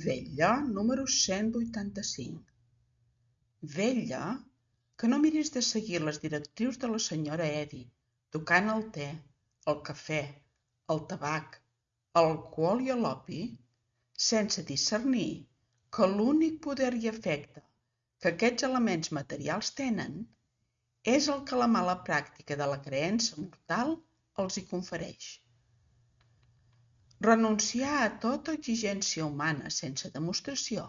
Vetlla número 185. Vetlla que no miris de seguir les directrius de la senyora Eddy, tocant el te, el cafè, el tabac, l'alcohol i l'opi, sense discernir que l'únic poder i efecte que aquests elements materials tenen és el que la mala pràctica de la creença mortal els hi confereix. Renunciar a tota exigència humana sense demostració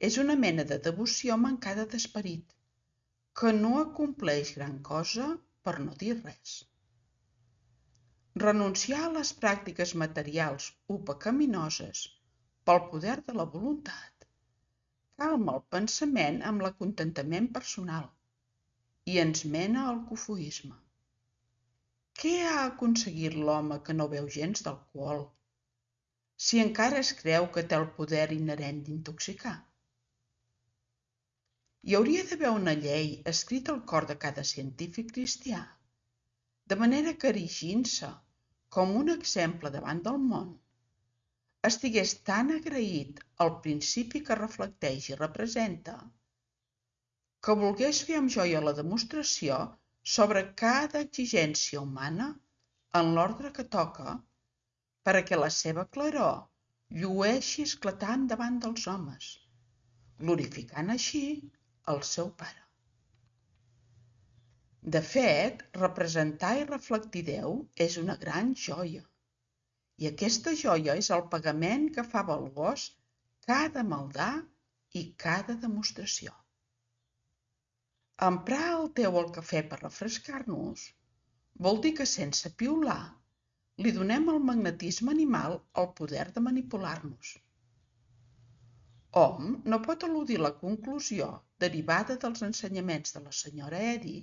és una mena de devoció mancada d'esperit, que no acompleix gran cosa per no dir res. Renunciar a les pràctiques materials o pecaminoses pel poder de la voluntat calma el pensament amb l'acontentament personal i ens mena al cofoisme. Què ha aconseguit l'home que no beu gens d'alcohol, si encara es creu que té el poder inherent d'intoxicar? Hi hauria d'haver una llei escrita al cor de cada científic cristià, de manera que erigint-se com un exemple davant del món, estigués tan agraït al principi que reflecteix i representa, que volgués fer amb joia la demostració sobre cada exigència humana en l'ordre que toca, perquè la seva claror llueixi esclatant davant dels homes, glorificant així el seu Pare. De fet, representar i reflectir Déu és una gran joia, i aquesta joia és el pagament que fa valuós cada maldà i cada demostració. Emprar el te o el cafè per refrescar-nos vol dir que sense piular li donem al magnetisme animal el poder de manipular-nos. Hom no pot eludir la conclusió derivada dels ensenyaments de la senyora Eddy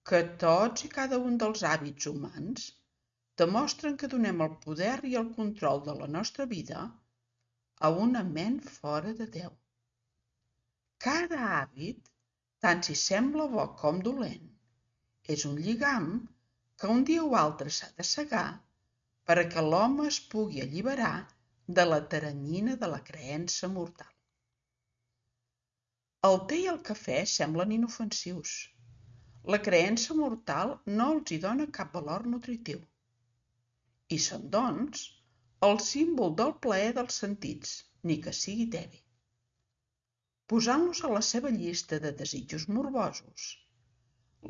que tots i cada un dels hàbits humans demostren que donem el poder i el control de la nostra vida a una ment fora de Déu. Cada hàbit, tant si sembla bo com dolent, és un lligam que un dia o altre s'ha de segar perquè l'home es pugui alliberar de la teranyina de la creença mortal. El te i el cafè semblen inofensius. La creença mortal no els hi dona cap valor nutritiu. I són, doncs, el símbol del plaer dels sentits, ni que sigui tebi. Posant-los a la seva llista de desitjos morbosos,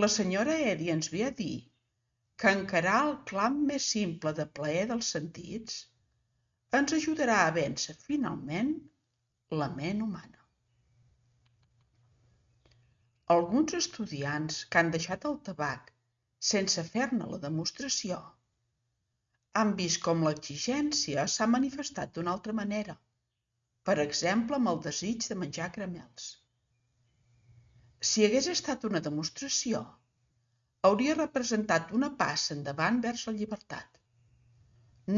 la senyora Eddy ens ve a dir que encarar el clam més simple de plaer dels sentits ens ajudarà a vèncer finalment la ment humana. Alguns estudiants que han deixat el tabac sense fer-ne la demostració han vist com l'exigència s'ha manifestat d'una altra manera, per exemple amb el desig de menjar caramels. Si hagués estat una demostració, hauria representat una passa endavant vers la llibertat,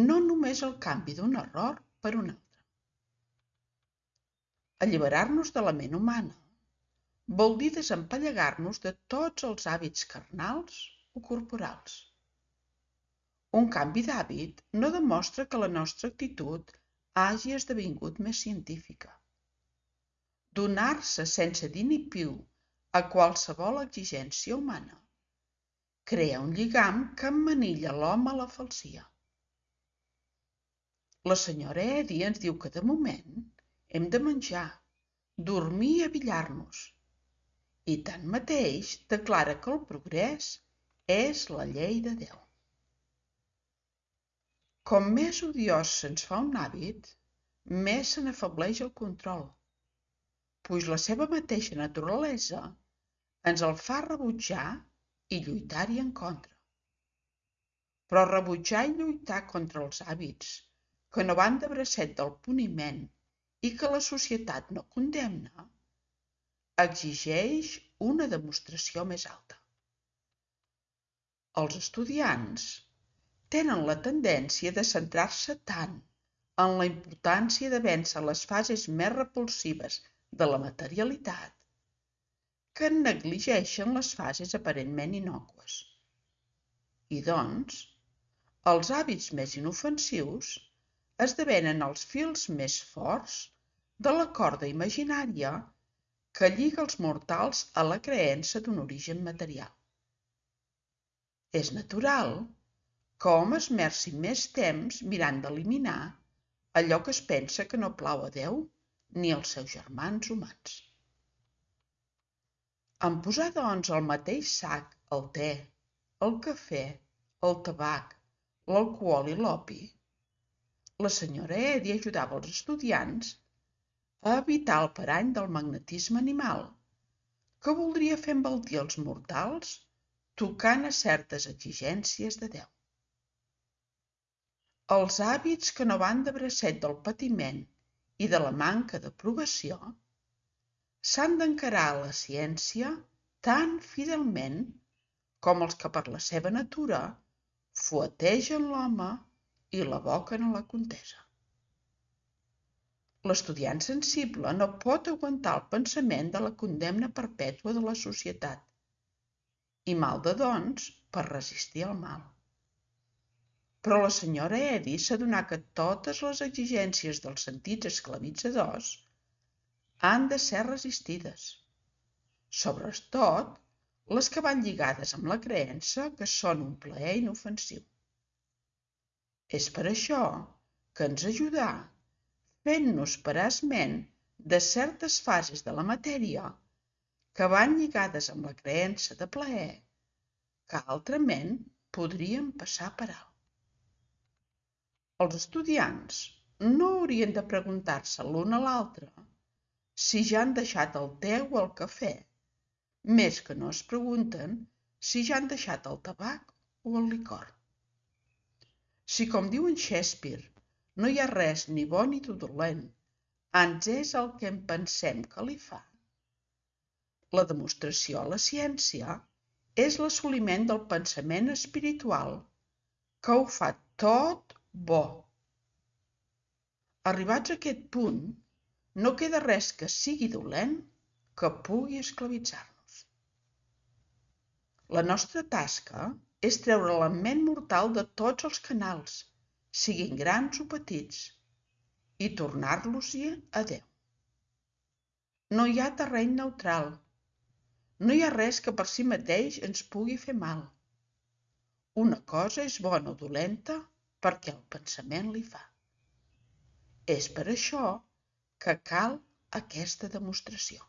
no només el canvi d'un error per un altre. Alliberar-nos de la ment humana vol dir desempallegar-nos de tots els hàbits carnals o corporals. Un canvi d'hàbit no demostra que la nostra actitud hagi esdevingut més científica. Donar-se sense dir ni piu a qualsevol exigència humana crea un lligam que emmanilla l'home a la falsia. La senyora Eddy ens diu que de moment hem de menjar, dormir i abillar-nos, i tanmateix declara que el progrés és la llei de Déu. Com més odiós se'ns fa un hàbit, més se n'afebleix el control, puix la seva mateixa naturalesa ens el fa rebutjar i lluitar-hi en contra. Però rebutjar i lluitar contra els hàbits que no van de bracet del puniment i que la societat no condemna, exigeix una demostració més alta. Els estudiants tenen la tendència de centrar-se tant en la importància de vèncer les fases més repulsives de la materialitat que negligeixen les fases aparentment innòcues. I doncs, els hàbits més inofensius esdevenen els fils més forts de la corda imaginària que lliga els mortals a la creença d'un origen material. És natural que hom esmerci més temps mirant d'eliminar allò que es pensa que no plau a Déu ni als seus germans humans. En posar, doncs, al mateix sac el te, el cafè, el tabac, l'alcohol i l'opi, la senyora Eddy ajudava els estudiants a evitar el parany del magnetisme animal, que voldria fer embaltir els mortals tocant a certes exigències de Déu. Els hàbits que no van de bracet del patiment i de la manca d'aprovació s'han d'encarar a la ciència tan fidelment com els que per la seva natura fuetegen l'home i l'aboquen a la contesa. L'estudiant sensible no pot aguantar el pensament de la condemna perpètua de la societat i malda, doncs, per resistir al mal. Però la senyora Eddy s'adonà que totes les exigències dels sentits esclavitzadors han de ser resistides, sobretot les que van lligades amb la creença que són un plaer inofensiu. És per això que ens ajudà fent-nos parar esment de certes fases de la matèria que van lligades amb la creença de plaer que altrament podríem passar per alt. Els estudiants no haurien de preguntar-se l'un a l'altre si ja han deixat el te o el cafè, més que no es pregunten si ja han deixat el tabac o el licor. Si, com diu en Shakespeare, no hi ha res ni bo ni dolent, ans és el que en pensem que li fa. La demostració a la ciència és l'assoliment del pensament espiritual que ho fa tot bo. Arribats a aquest punt, no queda res que sigui dolent que pugui esclavitzar-nos. La nostra tasca és treure la ment mortal de tots els canals, siguin grans o petits, i tornar-los-hi a Déu. No hi ha terreny neutral. No hi ha res que per si mateix ens pugui fer mal. Una cosa és bona o dolenta perquè el pensament li fa. És per això que cal aquesta demostració.